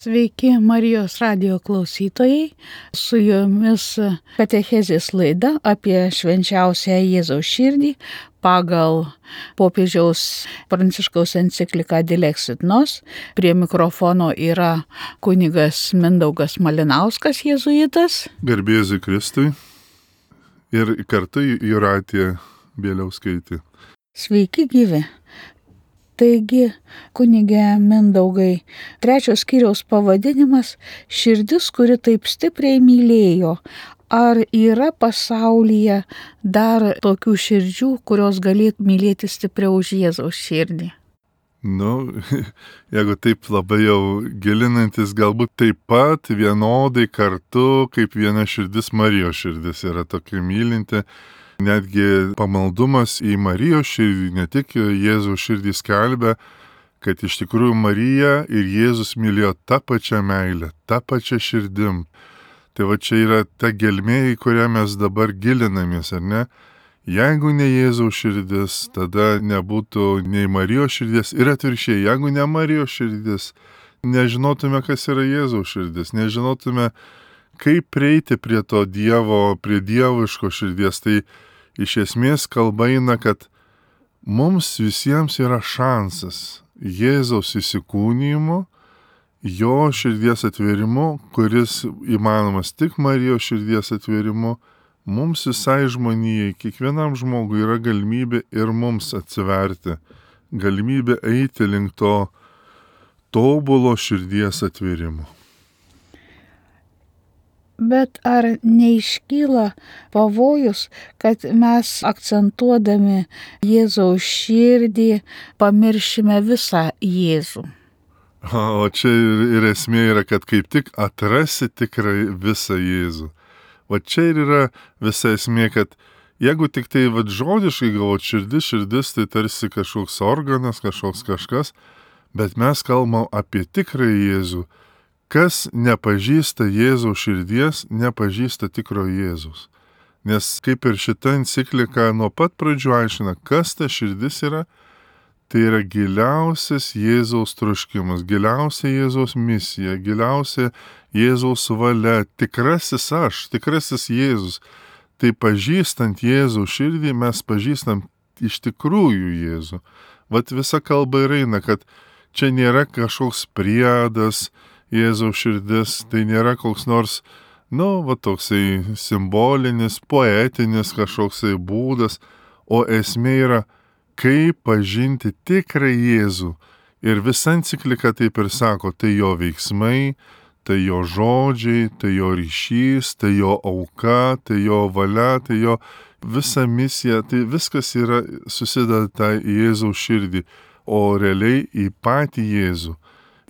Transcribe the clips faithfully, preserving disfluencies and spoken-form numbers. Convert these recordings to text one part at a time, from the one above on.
Sveiki Marijos radijo klausytojai, su jumis katechezės laida apie švenčiausią Jėzaus širdį pagal popiežiaus Pranciškaus encikliką Dilexit Nos. Prie mikrofono yra kunigas Mindaugas Malinauskas, jėzuitas. Garbė Jėzui Kristui ir kartu Jūratė Bieliauskaitė. Sveiki gyvi. Taigi, kunige Mindaugai, trečios skyriaus pavadinimas - širdis, kuri taip stipriai mylėjo. Ar yra pasaulyje dar tokių širdžių, kurios galėtų mylėti stipriau už Jėzaus širdį? Nu, jeigu taip labai jau gilinantis, galbūt taip pat vienodai kartu, kaip viena širdis Marijos širdis yra tokia mylinti. Netgi pamaldumas į Marijos širdį, ne tik Jėzaus širdį skelbia, kad iš tikrųjų Marija ir Jėzus mylėjo tą pačią meilę, tą pačią širdim. Tai va čia yra ta gelmė, į kurią mes dabar gilinamės, ar ne? Jeigu ne Jėzaus širdis, tada nebūtų nei Marijos širdies ir atvirkščiai, jeigu ne Marijos širdis, nežinotume, kas yra Jėzaus širdis, nežinotume, kaip prieiti prie to Dievo, prie dieviško širdies. Tai iš esmės kalba eina, kad mums visiems yra šansas Jėzaus įsikūnijimu, jo širdies atvėrimu, kuris įmanomas tik Marijos širdies atvėrimu, mums visai žmonijai, kiekvienam žmogui yra galimybė ir mums atsiverti, galimybė eiti link to tobulo širdies atvėrimo. Bet ar neiškyla pavojus, kad mes akcentuodami Jėzaus širdį pamiršime visą Jėzų? O čia ir, ir esmė yra, kad kaip tik atrasi tikrai visą Jėzų. O čia ir yra visa esmė, kad jeigu tik tai vat, žodiškai galvot širdis, širdis, tai tarsi kažkoks organas, kažkoks kažkas, bet mes kalbam apie tikrąjį Jėzų. Kas nepažįsta Jėzaus širdies, nepažįsta tikro Jėzus. Nes kaip ir šita enciklika nuo pat pradžių aiškina, kas ta širdis yra, tai yra giliausias Jėzaus troškimas, giliausia Jėzaus misija, giliausia Jėzaus valia, tikrasis aš, tikrasis Jėzus. Tai pažįstant Jėzaus širdį, mes pažįstam iš tikrųjų Jėzų. Vat visa kalba ir eina, kad čia nėra kažkoks priedas, Jėzaus širdis, tai nėra koks nors, nu, va toksai simbolinis, poetinis kažkoksai būdas, o esmė yra, kaip pažinti tikrą Jėzų. Ir visa enciklika taip ir sako, tai jo veiksmai, tai jo žodžiai, tai jo ryšys, tai jo auka, tai jo valia, tai jo visa misija, tai viskas yra susideda į Jėzaus širdį, o realiai į patį Jėzų.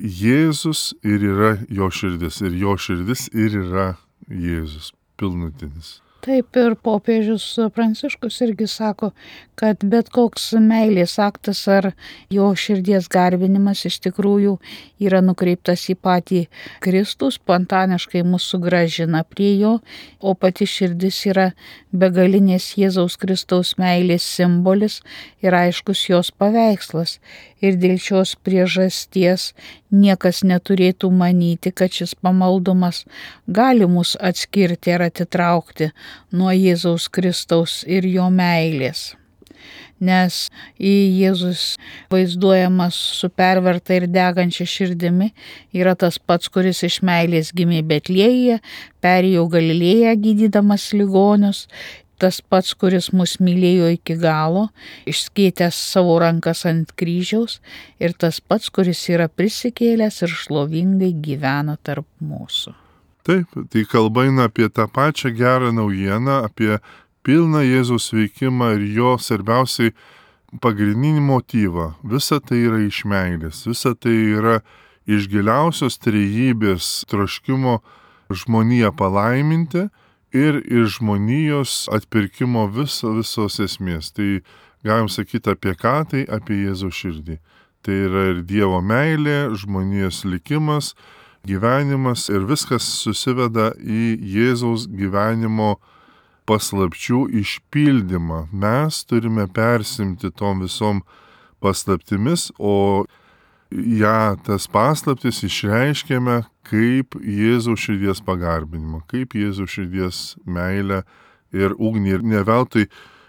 Jėzus ir yra jo širdis, ir jo širdis ir yra Jėzus, pilnutinis. Taip ir popiežius Pranciškus irgi sako, kad bet koks meilės aktas ar jo širdies garbinimas iš tikrųjų yra nukreiptas į patį Kristų, spontaniškai mus sugrąžina prie jo, o pati širdis yra begalinės Jėzaus Kristaus meilės simbolis ir aiškus jos paveikslas. Ir dėl šios priežasties niekas neturėtų manyti, kad šis pamaldumas gali mus atskirti ar atitraukti nuo Jėzaus Kristaus ir jo meilės. Nes į Jėzus vaizduojamas su perverta ir degančia širdimi yra tas pats, kuris iš meilės gimė Betlėjuje, perėjo Galilėją gydydamas ligonius, tas pats, kuris mus mylėjo iki galo, išskėtęs savo rankas ant kryžiaus, ir tas pats, kuris yra prisikėlęs ir šlovingai gyvena tarp mūsų. Taip, tai kalba eina apie tą pačią gerą naujieną, apie pilną Jėzaus veikimą ir jo svarbiausiai pagrindinį motyvą. Visa tai yra iš meilės, visa tai yra iš giliausios trejybės troškimo žmoniją palaiminti ir iš žmonijos atpirkimo viso, visos esmės. Tai galim sakyti apie ką, tai apie Jėzaus širdį. Tai yra ir Dievo meilė, žmonijos likimas, gyvenimas ir viskas susiveda į Jėzaus gyvenimo paslapčių išpildymą. Mes turime persimti tom visom paslaptimis, o ją tas paslaptis išreiškėme kaip Jėzaus širdies pagarbinimą, kaip Jėzaus širdies meilę ir ugnį. Ir ne veltui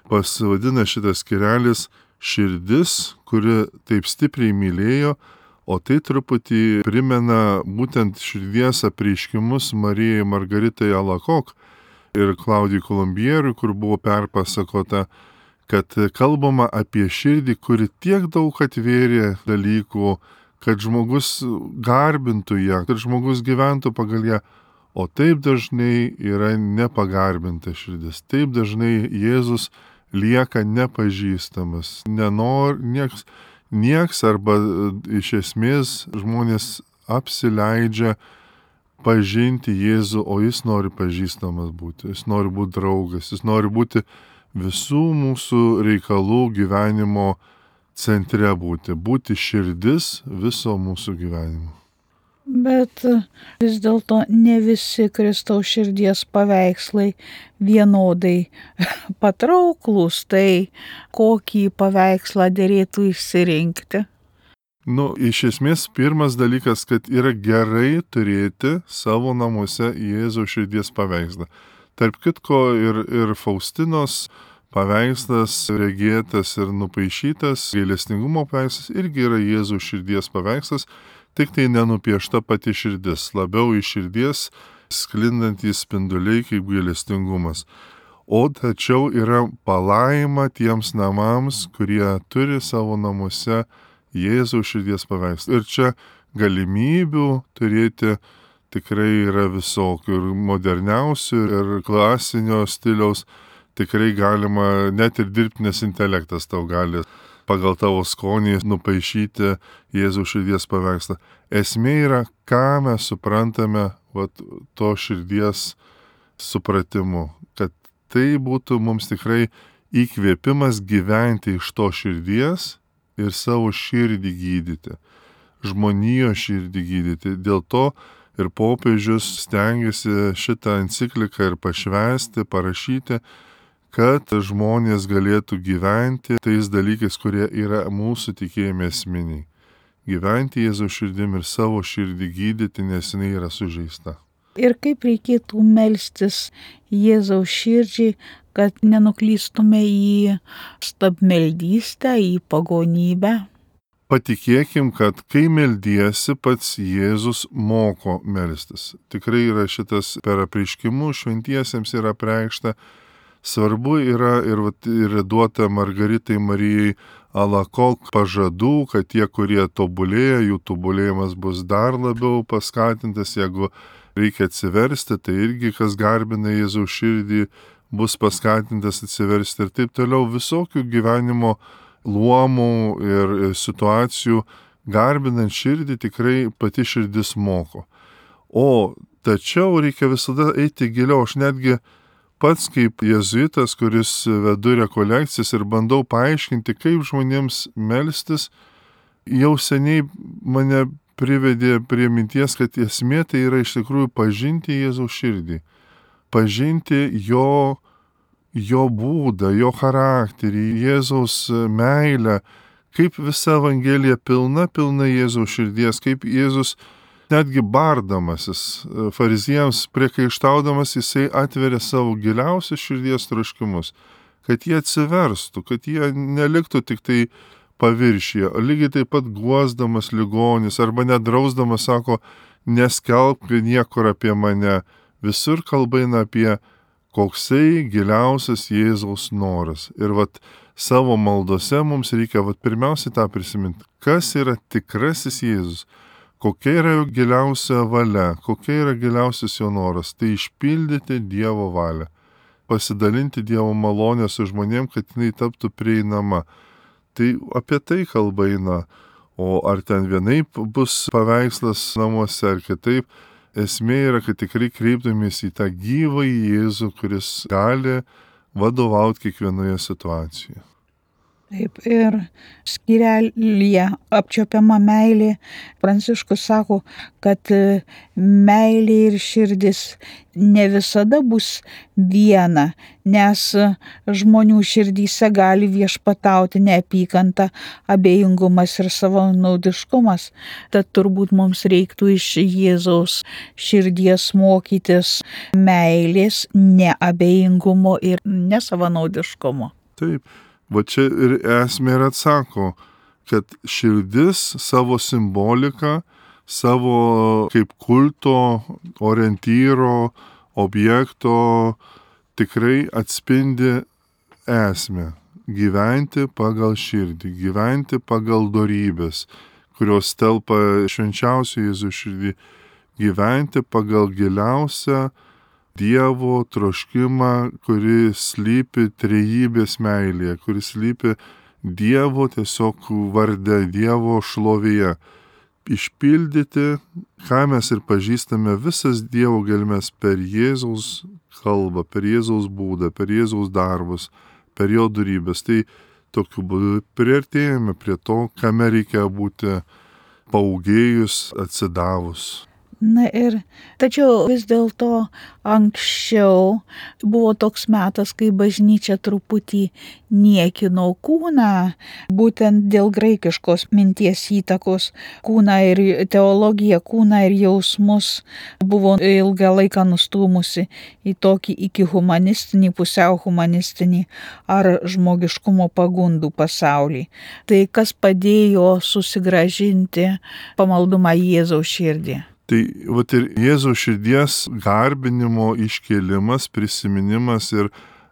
pasivadina šitas skyrelis širdis, kuri taip stipriai mylėjo, o tai truputį primena būtent širdies apreiškimus Marijai Margaritai Alakok ir Klaudijui Kolumbieriui, kur buvo perpasakota, kad kalbama apie širdį, kuri tiek daug atvėrė dalykų, kad žmogus garbintų ją, kad žmogus gyventų pagal ją, o taip dažnai yra nepagarbinta širdis. Taip dažnai Jėzus lieka nepažįstamas, nenor, nieks, nieks arba iš esmės žmonės apsileidžia pažinti Jėzų, o jis nori pažįstamas būti, jis nori būti draugas, jis nori būti visų mūsų reikalų gyvenimo centre būti, būti širdis viso mūsų gyvenimo. Bet vis dėlto ne visi Kristaus širdies paveikslai vienodai patrauklūs, tai kokį paveikslą derėtų išsirinkti? Nu, iš esmės, pirmas dalykas, kad yra gerai turėti savo namuose Jėzaus širdies paveikslą. Tarp kitko ir, ir Faustinos paveikslas, regėtas ir nupaišytas, gailestingumo paveikslas irgi yra Jėzaus širdies paveikslas, tik tai nenupiešta pati širdis, labiau iš širdies sklindantys spinduliai kaip gailestingumas. O tačiau yra palaima tiems namams, kurie turi savo namuose Jėzaus širdies paveikslą. Ir čia galimybių turėti tikrai yra visokių, ir moderniausių, ir klasinio stiliaus. Tikrai galima, net ir dirbtinis intelektas tau gali pagal tavo skonį nupaišyti Jėzaus širdies paveikslą. Esmė yra, ką mes suprantame vat, to širdies supratimu, kad tai būtų mums tikrai įkvėpimas gyventi iš to širdies ir savo širdį gydyti, žmonijos širdį gydyti. Dėl to ir popiežius stengiasi šitą encikliką ir pašvęsti, parašyti, kad žmonės galėtų gyventi tais dalykais, kurie yra mūsų tikėjime esminiai. Gyventi Jėzaus širdim ir savo širdį gydyti, nes jinai yra sužeista. Ir kaip reikėtų melstis Jėzaus širdžiai, kad nenuklystume į stabmeldystę, į pagonybę? Patikėkim, kad kai meldiesi, pats Jėzus moko melstis. Tikrai yra šitas per apreiškimus šventiesiems yra apreikšta. Svarbu yra ir, ir duota Margaritai Marijai Alakok pažadų, kad tie, kurie tobulėja, jų tobulėjimas bus dar labiau paskatintas. Jeigu reikia atsiversti, tai irgi kas garbina Jėzaus širdį, bus paskatintas atsiversti ir taip toliau. Visokių gyvenimo luomų ir situacijų garbinant širdį tikrai pati širdis moko. O tačiau reikia visada eiti giliau. Aš netgi pats kaip jėzuitas, kuris vedu rekolekcijas ir bandau paaiškinti, kaip žmonėms melstis, jau seniai mane privedė prie minties, kad esmė tai yra iš tikrųjų pažinti Jėzaus širdį, pažinti jo, jo būdą, jo charakterį, Jėzaus meilę, kaip visa Evangelija pilna, pilna Jėzaus širdies, kaip Jėzus netgi bardamasis, fariziejams priekaištaudamas, jisai atveria savo giliausius širdies troškimus, kad jie atsiverstų, kad jie neliktų tik tai paviršyje, lygiai taip pat guosdamas ligonis arba nedrausdamas sako, neskelbk niekur apie mane, visur kalba eina apie koksai giliausias Jėzaus noras. Ir vat savo maldose mums reikia vat pirmiausiai tą prisiminti, kas yra tikrasis Jėzus. Kokia yra jo giliausia valia, kokia yra giliausias jo noras, tai išpildyti Dievo valią, pasidalinti Dievo malonę su žmonėm, kad jinai taptų prieinama. Tai apie tai kalba eina, o ar ten vienaip bus paveikslas namuose ar kitaip, esmė yra, kad tikrai kreiptumės į tą gyvąjį Jėzų, kuris gali vadovauti kiekvienoje situacijoje. Taip, ir skyrelyje apčiopiama meilė. Pranciškus sako, kad meilė ir širdis ne visada bus viena, nes žmonių širdyse gali viešpatauti neapykanta, abejingumas ir savanaudiškumas. Tad turbūt mums reiktų iš Jėzaus širdies mokytis meilės, neabejingumo ir nesavanaudiškumo. Taip. Va čia ir esmė ir atsako, kad širdis savo simboliką, savo kaip kulto orientyro, objekto tikrai atspindi esmę. Gyventi pagal širdį, gyventi pagal dorybės, kurios telpa švenčiausio Jėzaus širdį, gyventi pagal giliausią Dievo troškimą, kuris slypi trejybės meilėje, kuris slypi Dievo tiesiog varde, Dievo šlovėje. Išpildyti, ką mes ir pažįstame, visas Dievo gelmes per Jėzaus kalbą, per Jėzaus būdą, per Jėzaus darbus, per jo dorybės. Tai tokiu būdu priartėjame prie to, kame reikia būti paūgėjus, atsidavus. Na ir, tačiau vis dėlto anksčiau buvo toks metas, kai bažnyčia truputį niekino kūną, būtent dėl graikiškos minties įtakos. Kūną ir teologiją, kūną ir jausmus buvo ilgą laiką nustūmusi į tokį iki humanistinį, pusiau humanistinį ar žmogiškumo pagundų pasaulį. Tai kas padėjo susigrąžinti pamaldumą Jėzaus širdį? Tai vat ir Jėzaus širdies garbinimo iškėlimas, prisiminimas ir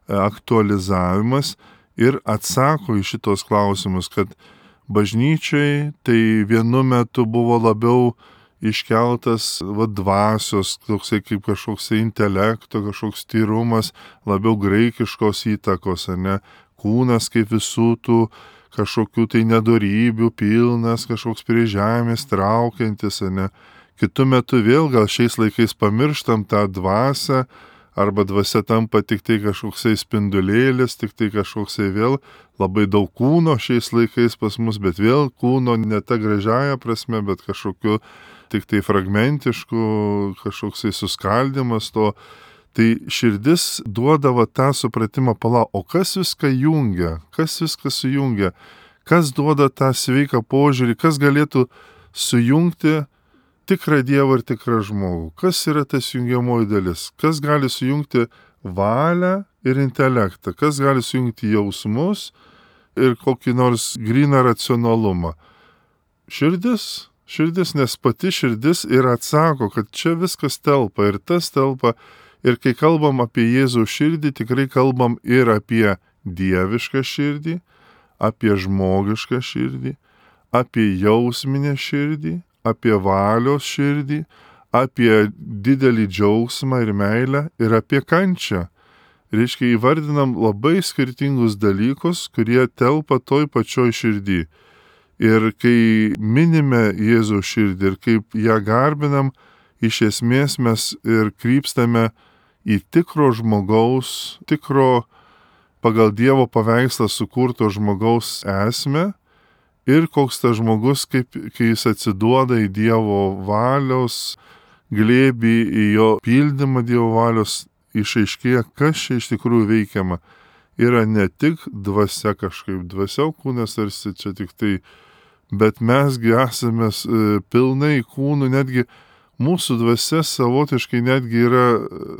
aktualizavimas ir atsako į šitos klausimus, kad bažnyčiai tai vienu metu buvo labiau iškeltas va, dvasios, toksai kaip kažkoks intelekto, kažkoks tyrumas, labiau graikiškos įtakos, ne, kūnas kaip visų tų kažkokių tai nedorybių pilnas, kažkoks prie žemės traukiantis, ne. Kitu metu vėl gal šiais laikais pamirštam tą dvasią, arba dvasia tampa tik tai kažkoksai spindulėlis, tik tai kažkoksai vėl labai daug kūno šiais laikais pas mus, bet vėl kūno ne ta gražiaja prasme, bet kažkokiu tik tai fragmentišku, kažkoksai suskaldimas to. Tai širdis duodavo tą supratimą, pala, o kas viską jungia, kas viską sujungia, kas duoda tą sveiką požiūrį, kas galėtų sujungti tikrą Dievą ir tikrą žmogų. Kas yra tas jungiamoji dalis? Kas gali sujungti valią ir intelektą? Kas gali sujungti jausmus ir kokį nors gryną racionalumą? Širdis. Širdis, nes pati širdis ir atsako, kad čia viskas telpa ir tas telpa. Ir kai kalbam apie Jėzaus širdį, tikrai kalbam ir apie dievišką širdį, apie žmogišką širdį, apie jausminę širdį, apie valios širdį, apie didelį džiaugsmą ir meilę ir apie kančią. Reiškia, įvardinam labai skirtingus dalykus, kurie telpa toj pačioj širdį. Ir kai minime Jėzaus širdį ir kaip ją garbinam, iš esmės mes ir krypstame į tikro žmogaus, tikro pagal Dievo paveikslą sukurto žmogaus esmę. Ir koks tas žmogus, kaip, kai jis atsiduoda į Dievo valios glėbį, į jo pildymą Dievo valios, išaiškėja, kas čia iš tikrųjų veikiama. Yra ne tik dvasia kažkaip, dvasia kūnas tarsi čia tik tai, bet mesgi esame pilnai kūnų, netgi mūsų dvasia savotiškai netgi yra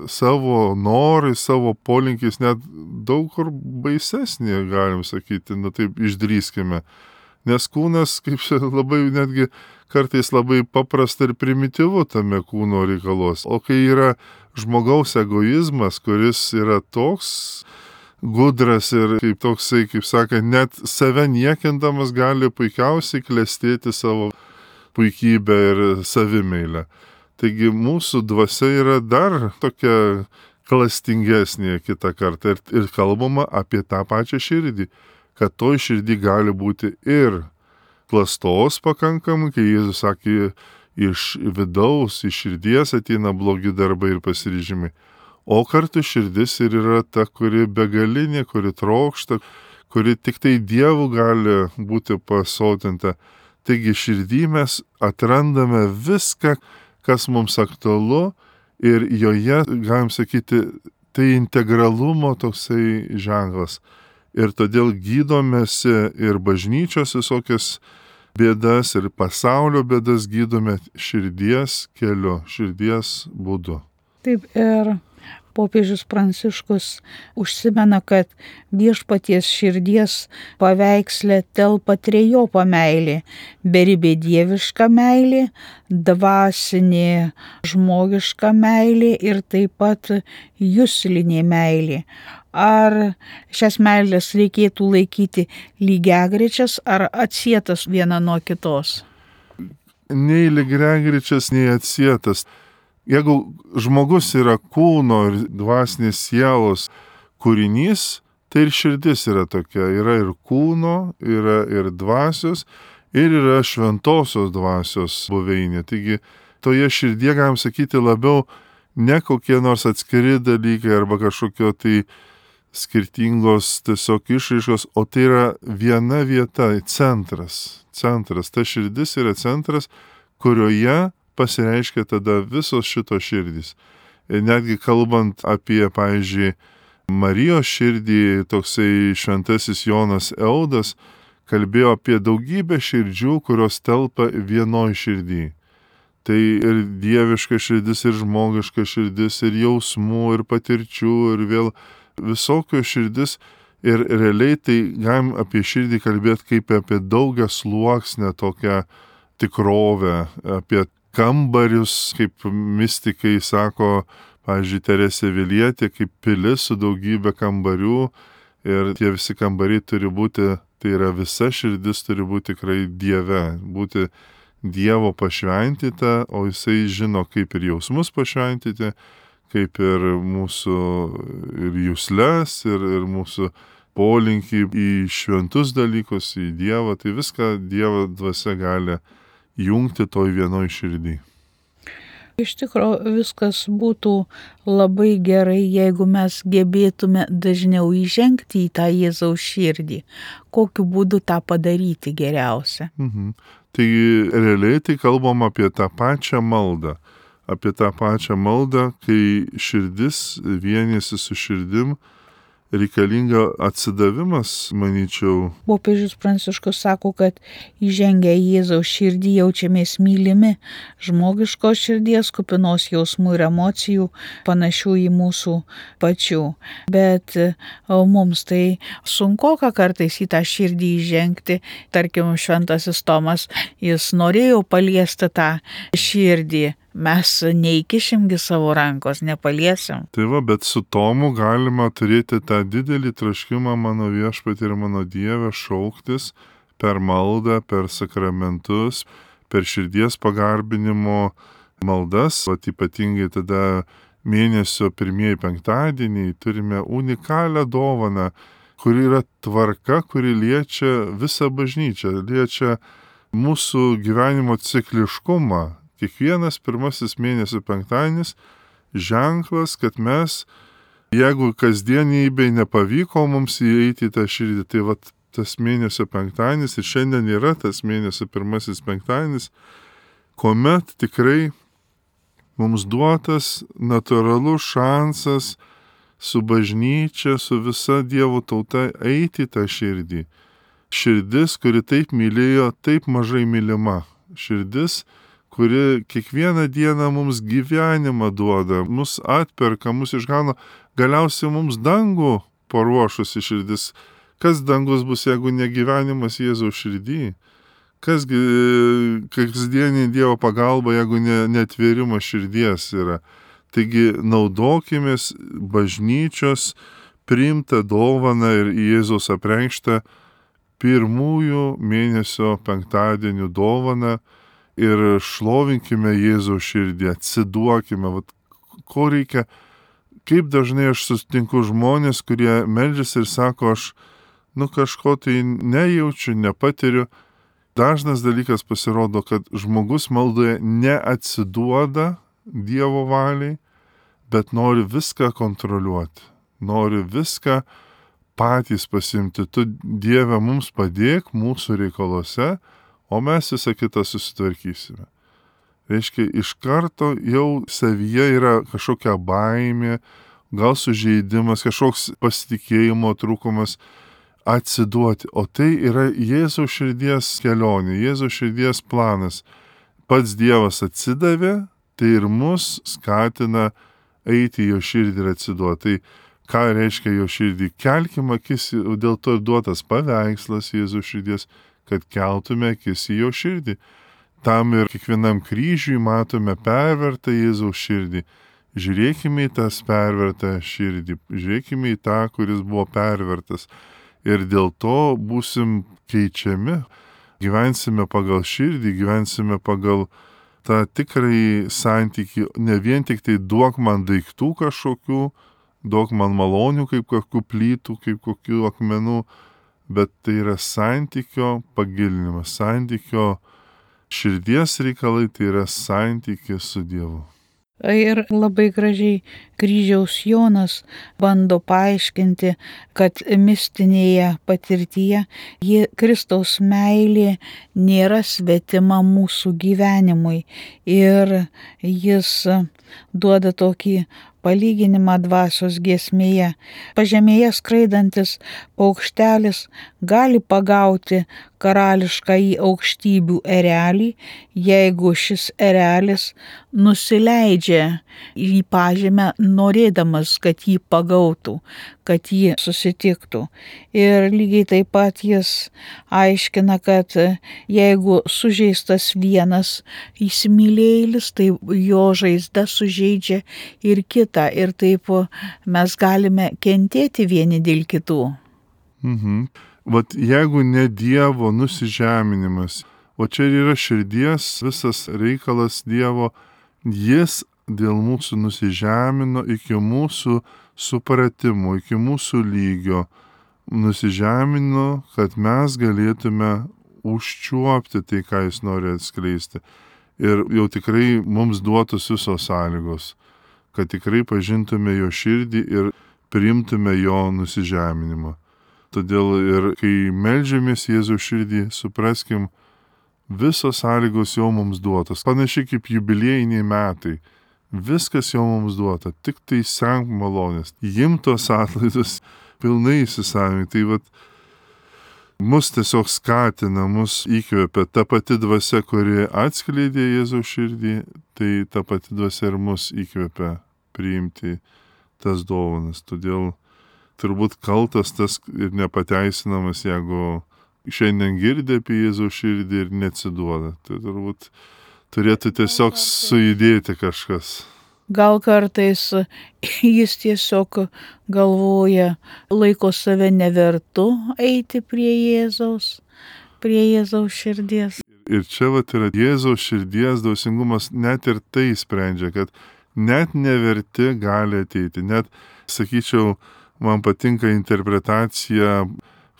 savo norai, savo polinkiais, net daug kur baisesnė, galim sakyti, nu taip išdrįskime. Nes kūnas, kaip labai netgi kartais labai paprasta ir primityvu tame kūno reikalos. O kai yra žmogaus egoizmas, kuris yra toks gudras ir kaip toksai, kaip sakant, net save niekindamas gali puikiausiai klestėti savo puikybę ir savimeilę. Taigi mūsų dvasia yra dar tokia klastingesnė kitą kartą ir, ir kalbama apie tą pačią širdį. Kad toj širdį gali būti ir klastos pakankamai, kai Jėzus sakė, iš vidaus, iš širdies ateina blogi darbai ir pasiryžimai. O kartu širdis ir yra ta, kuri begalinė, kuri trokšta, kuri tik tai Dievu gali būti pasotinta. Taigi širdį mes atrandame viską, kas mums aktualu ir joje, galim sakyti, tai integralumo toksai ženklas. Ir todėl gydomėsi ir bažnyčios visokias bėdas, ir pasaulio bėdas gydome širdies keliu, širdies būdu. Taip ir popiežius Pranciškus užsimena, kad viešpaties širdies paveiksle telpa trejopa meilė - beribė dieviška meilė, dvasinė žmogiška meilė ir taip pat juslinė meilė. Ar šias meilės reikėtų laikyti lygiagrečias ar atsietas viena nuo kitos? Nei lygiagrečias, nei atsietas. Jeigu žmogus yra kūno ir dvasinės sielos kūrinys, tai ir širdis yra tokia. Yra ir kūno, yra ir dvasios, ir yra šventosios dvasios buveinė. Taigi toje širdie, galim sakyti, labiau ne kokie nors atskiri dalykai arba kažkokio tai skirtingos tiesiog išraiškos, o tai yra viena vieta, centras. Centras. Ta širdis yra centras, kurioje pasireiškia tada visos šitos širdys. Ir netgi kalbant apie, pavyzdžiui, Marijos širdį, toksai šventasis Jonas Eudas kalbėjo apie daugybę širdžių, kurios telpa vienoj širdį. Tai ir dieviška širdis, ir žmogiška širdis, ir jausmų, ir patirčių, ir vėl visokios širdis. Ir realiai tai galim apie širdį kalbėti kaip apie daugia sluoksnę tokią tikrovę, apie kambarius, kaip mistikai sako, pavyzdžiui, Teresė Avilietė, kaip pilis su daugybė kambarių. Ir tie visi kambariai turi būti, tai yra visa širdis turi būti tikrai Dieve, būti Dievo pašventyta, o jisai žino, kaip ir jausmus pašventyti, kaip ir mūsų ir jusles, ir, ir mūsų polinkį į šventus dalykus, į Dievą. Tai viską Dievo dvasia gali jungti toj vienoj širdį. Iš tikrųjų viskas būtų labai gerai, jeigu mes gebėtume dažniau įžengti į tą Jėzaus širdį. Kokiu būdu tą padaryti geriausia? Mhm. Tai realiai tai kalbam apie tą pačią maldą. Apie tą pačią maldą, kai širdis vienėsi su širdim, reikalinga atsidavimas, manyčiau. Popiežius Pranciškus sako, kad įžengę į Jėzaus širdį jaučiamės mylimi, žmogiškos širdies, kupinos jausmų ir emocijų, panašių į mūsų pačių. Bet o, mums tai sunkoka kartais į tą širdį įžengti. Tarkim, šventasis Tomas, jis norėjo paliesti tą širdį. Mes neįkišimgi savo rankos, nepaliesim. Tai va, bet su Tomu galima turėti tą didelį troškimą mano viešpatį ir mano Dievę šauktis per maldą, per sakramentus, per širdies pagarbinimo maldas. Vat ypatingai tada mėnesio pirmieji penktadieniai turime unikalią dovaną, kuri yra tvarka, kuri liečia visą bažnyčią, liečia mūsų gyvenimo cikliškumą. Kiekvienas pirmasis mėnesio penktadienis ženklas, kad mes, jeigu kasdienybei nepavyko mums įeiti į tą širdį, tai vat tas mėnesio penktadienis ir šiandien yra tas mėnesio pirmasis penktadienis, kuomet tikrai mums duotas natūralus šansas su bažnyčia, su visa Dievo tauta eiti į tą širdį. Širdis, kuri taip mylėjo, taip mažai mylima. Širdis, kuri kiekvieną dieną mums gyvenimą duoda, mus atperka, mus išgauna, galiausiai mums dangų paruošusi širdis. Kas dangus bus, jeigu ne gyvenimas Jėzaus širdį? Kasgi kasdienį Dievo pagalba, jeigu ne, netvėrimas širdies yra? Taigi naudokimės bažnyčios priimtą dovaną ir Jėzaus apreikštą pirmųjų mėnesio penktadienių dovaną, ir šlovinkime Jėzaus širdį, atsiduokime. Vat, ko reikia, kaip dažnai aš sutinku žmonės, kurie meldžiasi ir sako, aš nu kažko tai nejaučiu, nepatiriu. Dažnas dalykas pasirodo, kad žmogus maldoje neatsiduoda Dievo valiai, bet nori viską kontroliuoti, nori viską patys pasimti. Tu, Dieve, mums padėk mūsų reikaluose, o mes visą kitą susitvarkysime. Reiškia, iš karto jau savyje yra kažkokia baimė, gal sužeidimas, kažkoks pasitikėjimo trūkumas atsiduoti. O tai yra Jėzaus širdies kelionė, Jėzaus širdies planas. Pats Dievas atsidavė, tai ir mus skatina eiti jo širdį ir atsiduoti. Tai ką reiškia jo širdį? Kelkim akis, dėl to duotas paveikslas Jėzaus širdies, kad keltume akis į jo širdį. Tam ir kiekvienam kryžiui matome pervertą Jėzaus širdį. Žiūrėkime į tas pervertą širdį, žiūrėkime į tą, kuris buvo pervertas. Ir dėl to būsim keičiami. Gyvensime pagal širdį, gyvensime pagal tą tikrąjį santykį. Ne vien tik tai duok man daiktų kažkokių, duok man malonių kaip kokių plytų, kaip kokių akmenų, bet tai yra santykio pagilinimas, santykio širdies reikalai, tai yra santykis su Dievu. Ir labai gražiai kryžiaus Jonas bando paaiškinti, kad mistinėje patirtyje ji Kristaus meilė nėra svetima mūsų gyvenimui. Ir jis duoda tokį palyginimą dvasios giesmėje. Pažemėje skraidantis paukštelis gali pagauti karališkąjį aukštybių erelį, jeigu šis erelis nusileidžia į pažemę norėdamas, kad jį pagautų, kad jį susitiktų. Ir lygiai taip pat jis aiškina, kad jeigu sužeistas vienas įsimylėjėlis, tai jo žaizda sužeidžia ir kitą. Ir taip mes galime kentėti vieni dėl kitų. Mhm. Vat jeigu ne Dievo nusižeminimas, o čia yra širdies visas reikalas Dievo, jis dėl mūsų nusižemino iki mūsų supratimo, iki mūsų lygio, nusižemino, kad mes galėtume užčiuopti tai, ką jis nori atskleisti. Ir jau tikrai mums duotos visos sąlygos, kad tikrai pažintume jo širdį ir priimtume jo nusižeminimą. Todėl ir kai meldžiamės Jėzaus širdį, supraskim, visos sąlygos jau mums duotos. Panašiai kaip jubiliejiniai metai. Viskas jau mums duota, tik tai senk malonės. Jim tos atlaidus pilnai įsisavinti. Tai vat, mus tiesiog skatina, mus įkvepia ta pati dvasia, kuri atskleidė Jėzaus širdį, tai ta pati dvasia ir mus įkvepia priimti tas dovanas. Todėl turbūt kaltas tas ir nepateisinamas, jeigu šiandien girdė apie Jėzaus širdį ir neatsiduoda. Tai turbūt turėtų tiesiog sujudėti kažkas. Gal kartais jis tiesiog galvoja, laiko save nevertu eiti prie Jėzaus, prie Jėzaus širdies. Ir čia vat yra Jėzaus širdies dvasingumas, net ir tai sprendžia, kad net neverti gali ateiti. Net, sakyčiau, man patinka interpretacija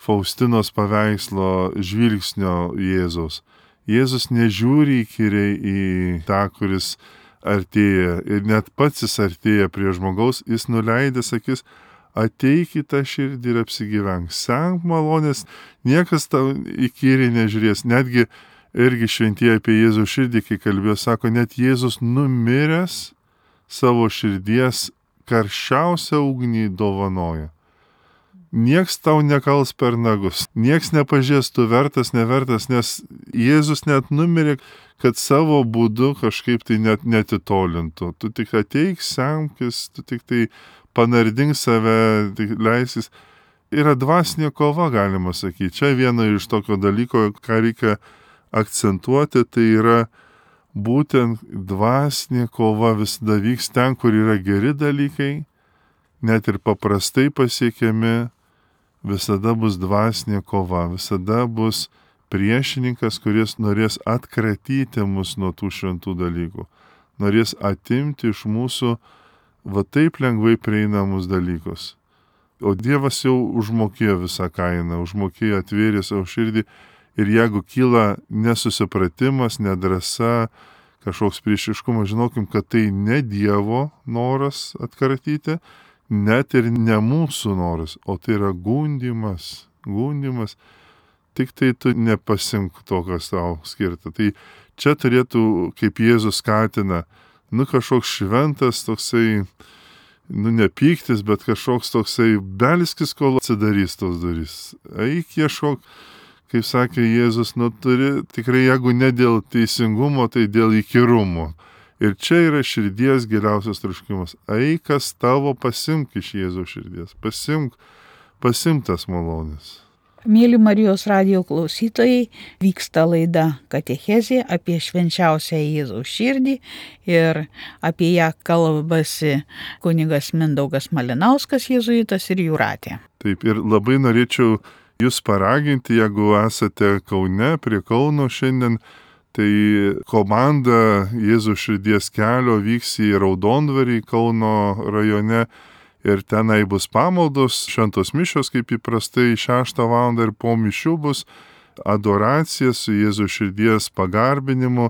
Faustinos paveikslo žvilgsnio Jėzaus. Jėzus nežiūri įkyriai į tą, kuris artėja. Ir net pats jis artėja prie žmogaus, jis nuleidęs akis, ateik į tą širdį ir apsigyvenk. Senk malonės, niekas tau įkyriai nežiūrės. Netgi irgi šventieji apie Jėzaus širdį, kai kalbėjo, sako, net Jėzus numiręs savo širdies karščiausią ugnį dovanoja. Nieks tau nekals per nagus, nieks nepažies, tu vertas, nevertas, nes Jėzus net numirė, kad savo būdu kažkaip tai net netitolintų. Tu tik ateik, semkis, tu tik tai panardink save, tik leisis. Yra dvasinė kova, galima sakyti. Čia viena iš tokio dalyko, ką reikia akcentuoti, tai yra būtent dvasinė kova visada vyks ten, kur yra geri dalykai, net ir paprastai pasiekiami, visada bus dvasinė kova, visada bus priešininkas, kuris norės atkratyti mus nuo tų šventų dalykų, norės atimti iš mūsų va taip lengvai prieinamus dalykus. O Dievas jau užmokėjo visą kainą, užmokėjo, atvėrė savo širdį. Ir jeigu kyla nesusipratimas, nedrąsa, kažkoks priešiškumas, žinokim, kad tai ne Dievo noras atkratyti, net ir ne mūsų noras, o tai yra gundimas, gundimas. Tik tai tu nepasimk to, kas tau skirta. Tai čia turėtų, kaip Jėzus skatina, nu kažkoks šventas toksai, nu nepyktis, bet kažkoks toksai belskis, kol atsidarys tos durys. Eik ieškok, kaip sakė Jėzus, nu turi tikrai, jeigu ne dėl teisingumo, tai dėl įkyrumo. Ir čia yra širdies giliausias troškimas. Eik, kas tavo, pasimk iš Jėzaus širdies. Pasimk, pasimk tas malonės. Mėly Marijos radijo klausytojai, vyksta laida Katechezė apie švenčiausią Jėzaus širdį ir apie ją kalbasi kunigas Mindaugas Malinauskas, jėzuitas, ir Jūratė. Taip, ir labai norėčiau jūs paraginti, jeigu esate Kaune, prie Kauno šiandien, tai komanda Jėzaus širdies kelio vyks į Raudondvarį Kauno rajone. Ir tenai bus pamaldos, šventos mišios, kaip įprastai šeštą valandą, ir po mišių bus adoracija su Jėzaus širdies pagarbinimu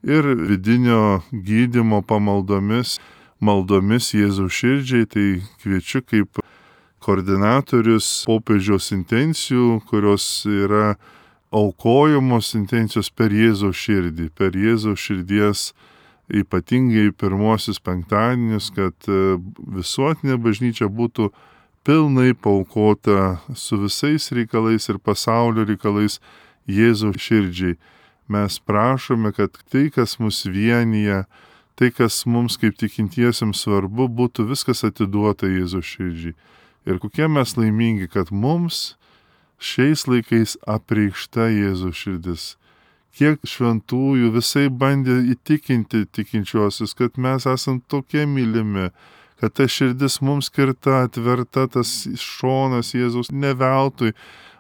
ir vidinio gydymo pamaldomis, maldomis Jėzaus širdžiai. Tai kviečiu kaip koordinatorius popiežiaus intencijų, kurios yra aukojamos intencijos per Jėzaus širdį, per Jėzaus širdies, ypatingai pirmosius penktadienius, kad visuotinė bažnyčia būtų pilnai paaukota su visais reikalais ir pasaulio reikalais Jėzaus širdžiai. Mes prašome, kad tai, kas mus vienyje, tai, kas mums kaip tikintiesiems svarbu, būtų viskas atiduota Jėzaus širdžiai. Ir kokie mes laimingi, kad mums šiais laikais apreikšta Jėzaus širdis. Kiek šventųjų visai bandė įtikinti tikinčiuosius, kad mes esam tokie mylimi, kad ta širdis mums skirta, atverta, tas šonas Jėzaus neveltui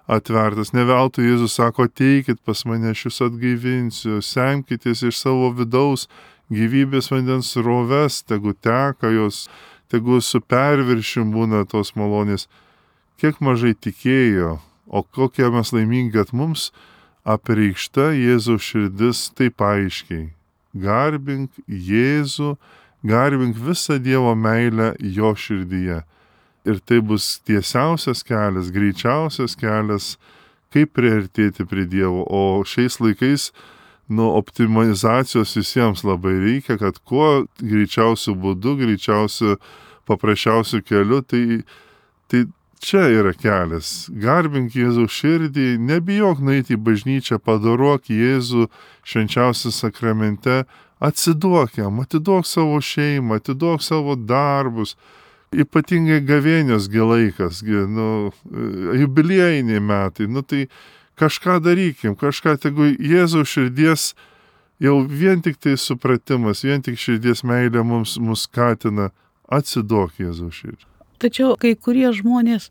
atvertas. Neveltui Jėzus sako, ateikit pas mane, aš jūs atgaivinsiu, semkitės iš savo vidaus gyvybės vandens sroves, tegu teka jos, tegu su perviršim būna tos malonės. Kiek mažai tikėjo, o kokie mes laimingi, kad mums apreikšta Jėzaus širdis taip aiškiai. Garbink Jėzų, garbink visą Dievo meilę jo širdyje. Ir tai bus tiesiausias kelias, greičiausias kelias, kaip priartėti prie Dievo. O šiais laikais, nu, optimizacijos visiems labai reikia, kad kuo greičiausiu būdu, greičiausiu, paprasčiausiu keliu, tai, tai čia yra kelias. Garbink Jėzaus širdį, nebijok nueiti į bažnyčią, padorok Jėzų švenčiausiam sakramente, atsiduok jam, atiduok savo šeimą, atiduok savo darbus, ypatingai gavėnios gi laikas, gi, nu, jubiliejiniai metai, nu tai kažką darykim, kažką, tegu Jėzaus širdies jau vien tik tai supratimas, vien tik širdies meilė mums mus skatina, atsiduok Jėzaus širdį. Tačiau kai kurie žmonės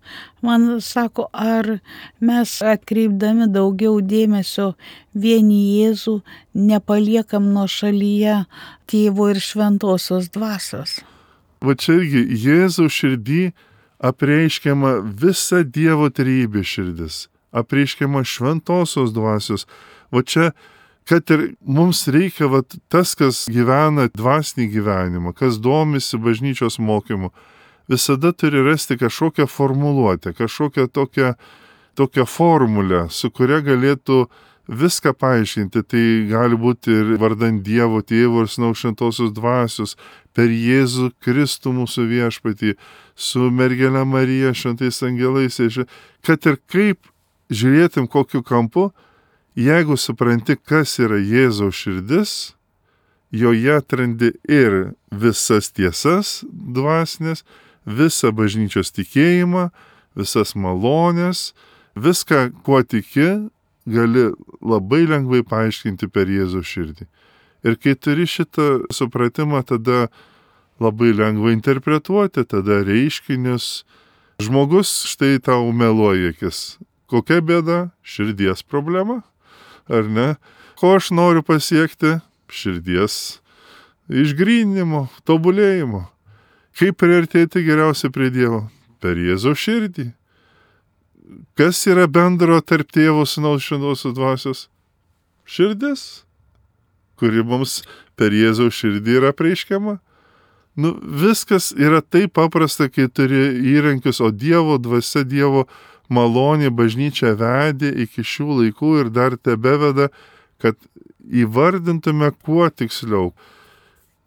man sako, ar mes atkreipdami daugiau dėmesio vieni Jėzų nepaliekam nuo šalyje Tėvo ir Šventosios dvasios. Va čia irgi Jėzaus širdį apreiškiama visa Dievo trejybės širdis, apreiškiama Šventosios dvasios. Va čia, kad ir mums reikia, va tas, kas gyvena dvasinį gyvenimą, kas domisi bažnyčios mokymu, visada turi rasti kažkokią formuluotę, kažkokią tokią, tokią formulę, su kuria galėtų viską paaiškinti. Tai gali būti ir vardant Dievo Tėvo ir Sūnaus Šventosios dvasios, per Jėzų Kristų mūsų viešpatį, su mergele Marija, šventais angelais, kad ir kaip žiūrėtum kokiu kampu, jeigu supranti, kas yra Jėzaus širdis, joje atrandi ir visas tiesas dvasinės, visą bažnyčios tikėjimą, visas malonės, viską, kuo tiki, gali labai lengvai paaiškinti per Jėzaus širdį. Ir kai turi šitą supratimą, tada labai lengva interpretuoti, tada reiškinius. Žmogus štai tau meluoja akis. Kokia bėda? Širdies problema, ar ne? Ko aš noriu pasiekti? Širdies išgryninimo, tobulėjimo. Kaip priartėti geriausiai prie Dievo? Per Jėzaus širdį. Kas yra bendro tarp Tėvo, Sūnaus, Šventosios dvasios? Širdis, kuri mums per Jėzaus širdį yra apreiškiama. Nu, viskas yra taip paprasta, kai turi įrankius, o Dievo dvasia, Dievo malonė bažnyčia vedė iki šių laikų ir dar tebeveda, kad įvardintume kuo tiksliau,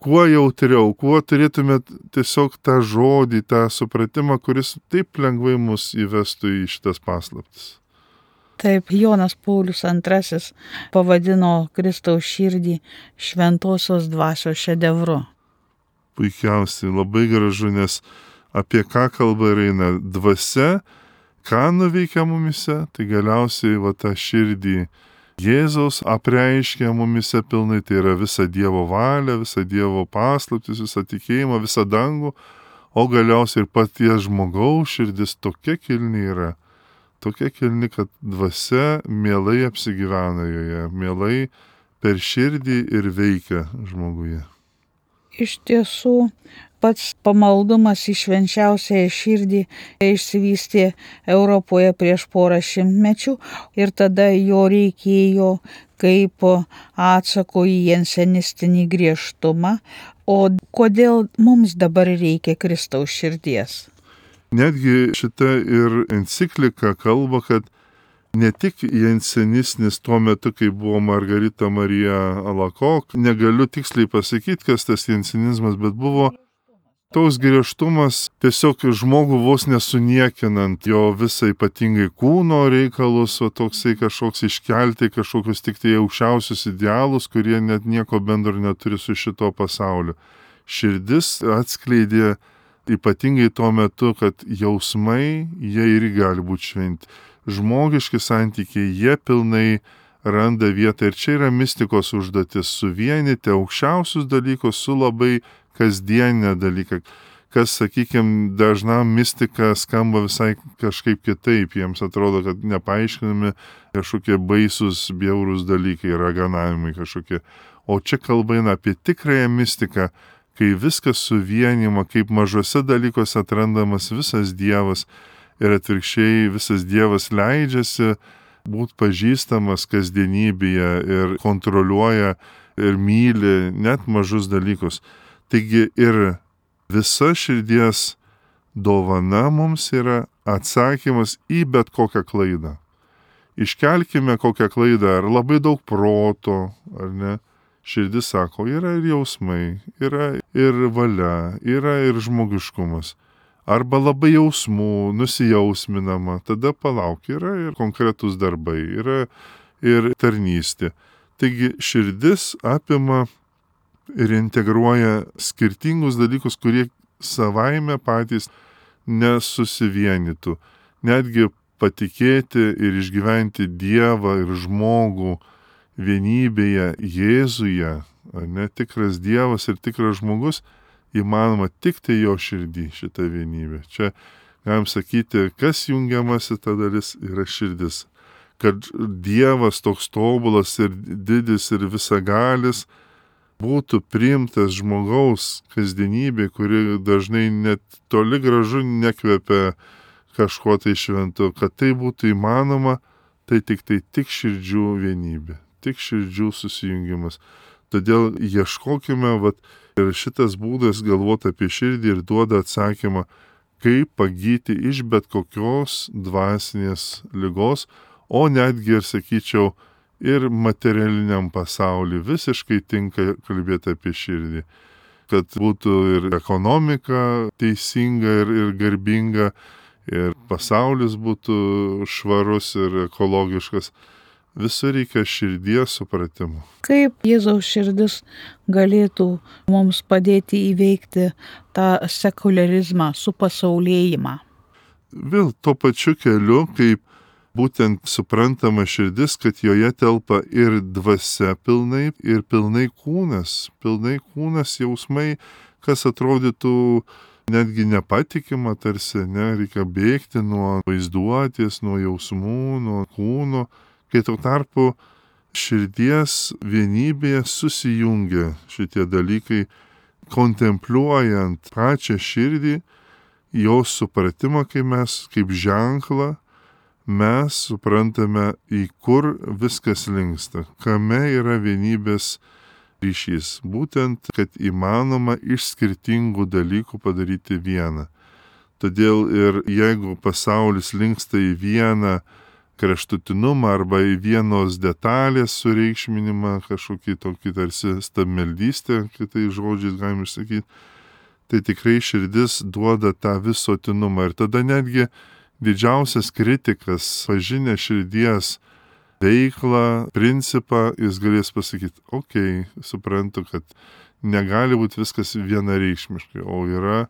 kuo jautriau, kuo turėtume tiesiog tą žodį, tą supratimą, kuris taip lengvai mus įvestų į šitas paslaptis. Taip, Jonas Paulius antrasis pavadino Kristaus širdį šventosios dvasios šedevru. Puikiausiai, labai gražu, nes apie ką kalba eina dvasia, ką nuveikia mumise, tai galiausiai va tą širdį Jėzaus apreiškia mumise pilnai, tai yra visa Dievo valia, visa Dievo paslaptis, visa tikėjimą, visa dangų, o galiausiai ir paties žmogaus širdis tokia kilni yra, tokia kilni, kad dvasia mielai apsigyvena joje, mielai per širdį ir veikia žmoguje. Iš tiesų, pats pamaldumas į švenčiausiąją širdį išsivystė Europoje prieš porą šimtmečių ir tada jo reikėjo kaip atsako į jansenistinį griežtumą. O kodėl mums dabar reikia Kristaus širdies? Netgi šita ir enciklika kalba, kad ne tik jansenistinis tuo metu, kai buvo Margarita Marija Alakok, negaliu tiksliai pasakyti, kas tas jansenizmas, bet buvo toks griežtumas tiesiog žmogų vos nesuniekinant jo visą ypatingai kūno reikalus, o toksai kažkoks iškelti kažkokius tik tai aukščiausius idealus, kurie net nieko bendro neturi su šito pasauliu. Širdis atskleidė ypatingai tuo metu, kad jausmai, jie irgi gali būti šventi. Žmogiški santykiai, jie pilnai randa vietą ir čia yra mistikos užduotis - suvienyti aukščiausius dalykus su labai kasdienė dalyka, kas, sakykime, dažnam mistika skamba visai kažkaip kitaip, jiems atrodo, kad nepaaiškinami kažkokie baisus, bjaurūs dalykai, raganavimai kažkokie. O čia kalba eina apie tikrąją mistiką, kai viskas suvienima, kaip mažose dalykuose atrandamas visas Dievas ir atvirkščiai visas Dievas leidžiasi būt pažįstamas kasdienybėje ir kontroliuoja ir myli net mažus dalykus. Taigi ir visa širdies dovana mums yra atsakymas į bet kokią klaidą. Iškelkime kokią klaidą, ar labai daug proto, ar ne. Širdis sako, yra ir jausmai, yra ir valia, yra ir žmogiškumas. Arba labai jausmų, nusijausminama, tada palauk, yra ir konkretus darbai, yra ir tarnystė. Taigi širdis apima ir integruoja skirtingus dalykus, kurie savaime patys nesusivienytų. Netgi patikėti ir išgyventi Dievą ir žmogų vienybėje Jėzuje, ne tikras Dievas ir tikras žmogus, įmanoma tik tai jo širdį šitą vienybę. Čia galim sakyti, kas jungiamasi ta dalis yra širdis. Kad Dievas toks tobulas ir didis ir visagalis būtų priimtas žmogaus kasdienybė, kuri dažnai net toli gražu nekvepia kažko tai šventu. Kad tai būtų įmanoma, tai tik tai tik širdžių vienybė, tik širdžių susijungimas. Todėl ieškokime, vat, ir šitas būdas galvoti apie širdį ir duoda atsakymą, kaip pagyti iš bet kokios dvasinės ligos, o netgi ir, sakyčiau, ir materialiniam pasauliu visiškai tinka kalbėti apie širdį. Kad būtų ir ekonomika teisinga ir, ir garbinga, ir pasaulis būtų švarus ir ekologiškas. Visur reikia širdies supratimų. Kaip Jėzaus širdis galėtų mums padėti įveikti tą sekularizmą, supasaulėjimą? Vėl tuo pačiu keliu, kaip būtent suprantama širdis, kad joje telpa ir dvasia pilnai, ir pilnai kūnas, pilnai kūnas jausmai, kas atrodytų netgi nepatikima tarsi, ne, reikia bėgti nuo vaizduotės, nuo jausmų, nuo kūno. Kai tuo tarpu širdies vienybėje susijungia šitie dalykai, kontempliuojant pačią širdį, jos supratimą, kai mes kaip ženklą, mes suprantame, į kur viskas linksta, kame yra vienybės ryšys. Būtent, kad įmanoma iš skirtingų dalykų padaryti vieną. Todėl ir jeigu pasaulis linksta į vieną kraštutinumą arba į vienos detalės sureikšminimą, kažkokį tokį tarsi stabmeldystę, kitais žodžiais galim išsakyti, tai tikrai širdis duoda tą visuotinumą. Ir tada netgi didžiausias kritikas, pažinę širdies veiklą, principą, jis galės pasakyti, okei, okay, suprantu, kad negali būti viskas vienareikšmiškai, o yra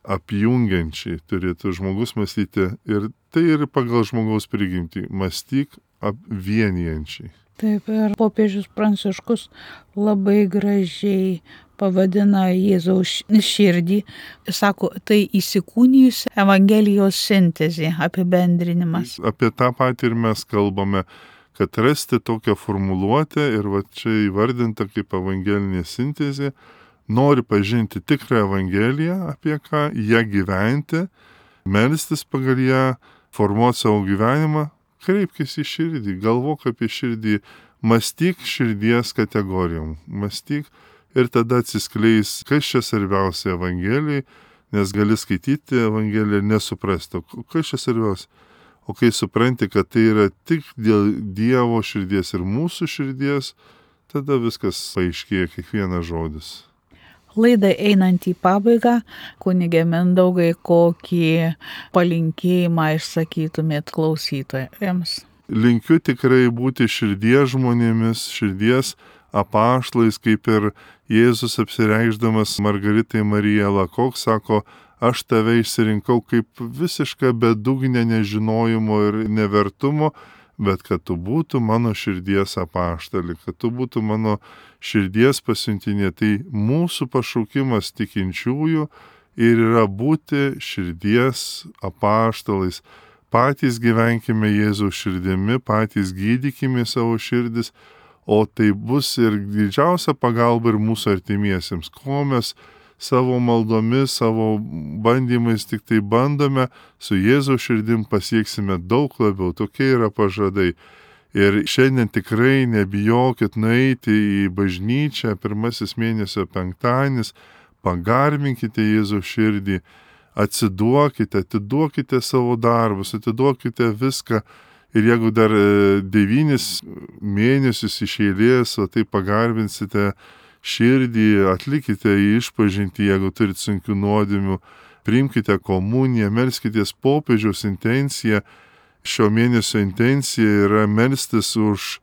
apjungiančiai, turėtų žmogus mąstyti ir tai ir pagal žmogaus prigimtį, mąstyk apvienijančiai. Taip, ir popiežius Pranciškus labai gražiai pavadina Jėzaus širdį, sako, tai įsikūnijusi Evangelijos sintezė, apibendrinimas. Apie tą patį ir mes kalbame, kad rasti tokią formuluotę ir va čia įvardinta kaip evangelinė sintezė, nori pažinti tikrą Evangeliją, apie ką ją gyventi, melstis pagal ją, formuoti savo gyvenimą, kreipkis į širdį, galvok apie širdį, mąstyk širdies kategorijom, mąstyk ir tada atsiskleis, kas čia svarbiausia Evangelijai, nes gali skaityti Evangeliją ir nesuprasti, kas čia svarbiausia. O kai supranti, kad tai yra tik dėl Dievo širdies ir mūsų širdies, tada viskas paaiškėja, kiekvienas žodis. Laidai einant į pabaigą, kunige Mindaugai, kokį palinkėjimą išsakytumėt klausytojams? Linkiu tikrai būti širdies žmonėmis, širdies apaštlais, kaip ir Jėzus apsireikšdamas Margaritai Marijai Lakok, sako, aš tave išsirinkau kaip visišką bedugnę nežinojimo ir nevertumo, bet kad tu būtų mano širdies apaštalį, kad tu būtų mano širdies pasiuntinė. Tai mūsų pašaukimas tikinčiųjų ir yra būti širdies apaštalais. Patys gyvenkime Jėzaus širdimi, patys gydykime savo širdis, o tai bus ir didžiausia pagalba ir mūsų artimiesiems. Ko mes savo maldomis, savo bandymais tik tai bandome, su Jėzaus širdim pasieksime daug labiau. Tokie yra pažadai. Ir šiandien tikrai nebijokit nueiti į bažnyčią, pirmasis mėnesio penktadienis, pagarbinkite Jėzaus širdį, atsiduokite, atiduokite savo darbus, atiduokite viską. Ir jeigu dar devynis mėnesius iš eilės, o tai pagarbinsite širdį, atlikite išpažintį, jeigu turit sunkių nuodėmių, priimkite komuniją, melskitės popiežiaus intenciją. Šio mėnesio intencija yra melstis už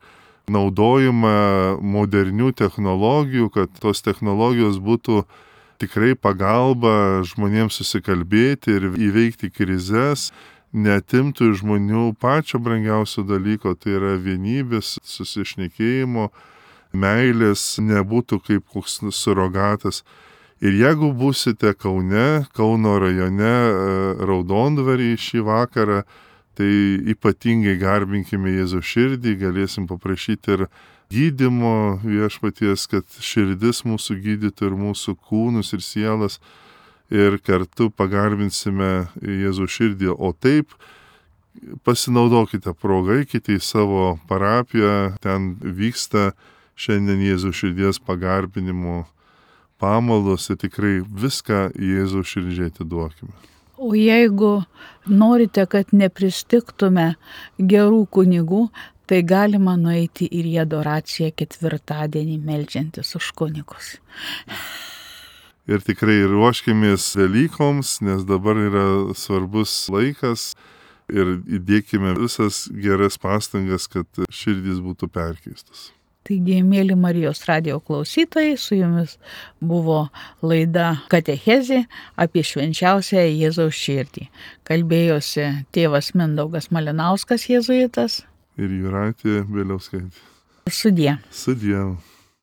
naudojimą modernių technologijų, kad tos technologijos būtų tikrai pagalba žmonėms susikalbėti ir įveikti krizes, neatimtų iš žmonių pačio brangiausio dalyko, tai yra vienybės, susišnekėjimo, meilės, nebūtų kaip koks surogatas. Ir jeigu būsite Kaune, Kauno rajone, Raudondvarį šį vakarą, tai ypatingai garbinkime Jėzaus širdį, galėsim paprašyti ir gydymo viešpaties, kad širdis mūsų gydytų ir mūsų kūnus ir sielas, ir kartu pagarbinsime Jėzaus širdį. O taip pasinaudokite progą, eikite į savo parapiją, ten vyksta šiandien Jėzaus širdies pagarbinimo pamaldos ir tikrai viską Jėzaus širdžiai atiduokime. O jeigu norite, kad nepristiktume gerų kunigų, tai galima nueiti ir į adoraciją ketvirtadienį meldžiantis už kunigus. Ir tikrai ruoškimės Velykoms, nes dabar yra svarbus laikas ir įdėkime visas geras pastangas, kad širdys būtų perkeistas. Taigi, mėly Marijos radijo klausytojai, su jumis buvo laida Katechezė apie švenčiausią Jėzaus širdį. Kalbėjosi tėvas Mindaugas Malinauskas, jėzuitas. Ir Jūratė Bieliauskaitė. Sudie. Sudie.